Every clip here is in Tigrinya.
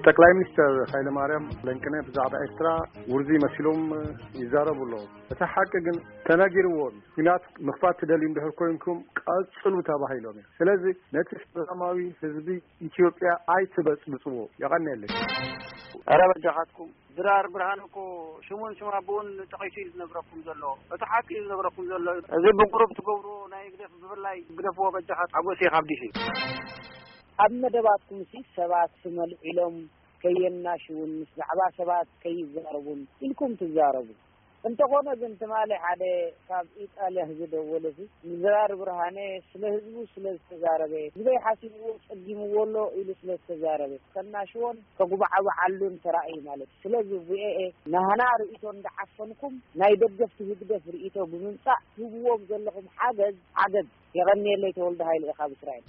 ጠቅላይ ሚኒስትር ኃይለማርያም ለንቅነ ብዛዕባ ኤርትራ ውርዚ መሲሎም ይዛረቡ ኣለዉ። እቲ ሓቂ ግን ተነጊርዎም። ኲናት ምኽፋት ትደልዩ እንድሕር ኮይንኩም ቀጽሉ ተባሂሎም እዮም። ስለዚ ነቲ ሰላማዊ ህዝቢ ኢትዮጵያ ኣይትበጽብጽዎ። የቐንየለይ። ኧረ በጃኻትኩም። ድራር ብርሃን እኮ ሽሙን ሽም ኣቦኡን ጠቒሱ እዩ ዝነግረኩም ዘሎ። እቲ ሓቂ እዩ ዝነግረኩም ዘሎ። እዚ ብቁሩብ ትገብርዎ ናይ ህግደፍ ብፍላይ ግደፍዎ በጃኻት። ሓጎስ እየ ካብ ዲሲ። ኣብ መደባትኩም ሲ ሰባት ስመልዒሎም ከየናሽውን ምስ ዛዕባ ሰባት ከይዛረቡን ኢልኩም ትዛረቡ። እንተኾነ ግን ትማሊ ሓደ ካብ ኢጣልያ ዝደወለ ሲ ንዝራር ብርሃነ ስለ ህዝቡ ስለ ዝተዛረበ፣ ህዝበይ ሓሲብዎ ጸጊምዎ ኣሎ ኢሉ ስለ ዝተዛረበ ከናሽዎን ከጉባዓብዓሉን ተራእዩ ማለት እዩ። ስለዚ ቪኦኤ ናህና ርእይቶ እንዳዓፈንኩም ናይ ደገፍቲ ህግደፍ ርእይቶ ብምምጻእ ትህብዎም ዘለኹም ሓገዝ ዓገብ። የቐንየለይ። ተወልደ ሃይለ ኢኻ ብእስራኤል።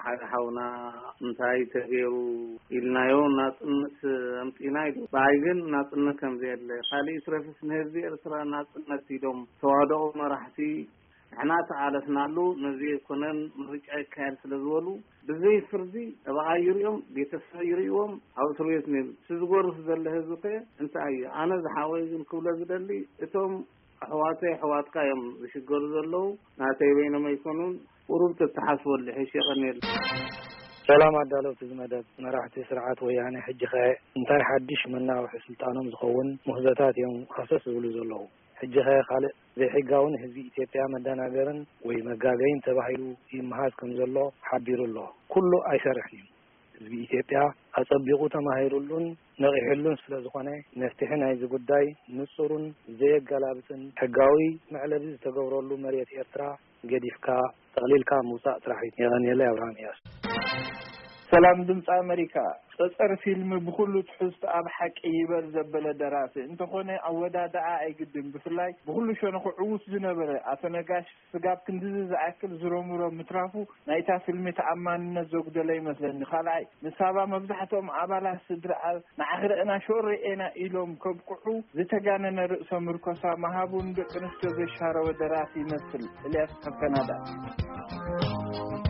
ሓደ ሓውና እንታይ ተገይሩ ኢልናዮ ናጽነት ኣምጺና ኢሉ። ብኣይ ግን ናጽነት ከም ዘየለ፣ ካልእ ይትረፍስ ንህዝቢ ኤርትራ ናጽነት ኢሎም ተዋህደኦ መራሕቲ ንሕና ተቓለስናሉ። ነዚ ኣይኮነን ምርጫ ይካየድ ስለ ዝበሉ ብዘይ ፍርዲ ጠበቓ ይሪኦም፣ ቤተሰብ ይሪእዎም፣ ኣብ እስር ቤት ነይሩ። እቲ ዝጎርፍ ዘሎ ህዝቢ ከ እንታይ እዩ? ኣነ ዝሓወይ ግን ክብሎ ዝደሊ እቶም ኣሕዋተይ ኣሕዋትካ እዮም ዝሽገሩ ዘለዉ። ናተይ በይኖም ኣይኮኑን። ቁሩብ ተተሓስበሉ ይሕሽ። የቐንየልና። ሰላም ኣዳለውቲ እዚ መደብ፣ መራሕቲ ስርዓት ወያነ ሕጂ ኸ እንታይ ሓድሽ መናውሒ ስልጣኖም ዝኸውን ሙህዘታት እዮም ሃሰስ ዝብሉ ዘለዉ? ሕጂ ኸ ካልእ ዘይሕጋውን ህዝቢ ኢትዮጵያ መደናገርን ወይ መጋገይን ተባሂሉ ይመሃዝ ከም ዘሎ ሓቢሩ ኣሎ። ኩሉ ኣይሰርሕን እዩ። ህዝቢ ኢትዮጵያ ኣጸቢቑ ተማሂሩሉን ነቒሕሉን ስለ ዝኾነ፣ መፍትሒ ናይዚ ጉዳይ ንጹርን ዘየገላብጥን፣ ሕጋዊ መዕለቢ ዝተገብረሉ መሬት ኤርትራ ገዲፍካ ጠቕሊልካ ምውጻእ ጥራሕ እዩ። የቐንየለይ። ኣብርሃም እያሱ። ሰላም ድምፂ ኣመሪካ። ጸጸር ፊልም ብኹሉ ትሕዝቶ ኣብ ሓቂ ይበል ዘበለ ደራሲ እንተኾነ፣ ኣወዳድኣ ኣይግድን። ብፍላይ ብኹሉ ሸነኹ ዕዉት ዝነበረ ኣቶ ነጋሽ ስጋብ ክንድዚ ዝኣክል ዝሮምሮ ምትራፉ ናይታ ፊልሚ ተኣማንነት ዘጉደለ ይመስለኒ። ካልኣይ፣ ንሳባ መብዛሕትኦም ኣባላት ስድርኣ ንዓኺ ርኣና ሸው ርኤና ኢሎም ከብቅዑ ዝተጋነነ ርእሰ ምርኮሳ ምሃቡ ንደቂ ኣንስትዮ ዘሻረወ ደራሲ ይመስል። ኤልያስ ካብ ካናዳ።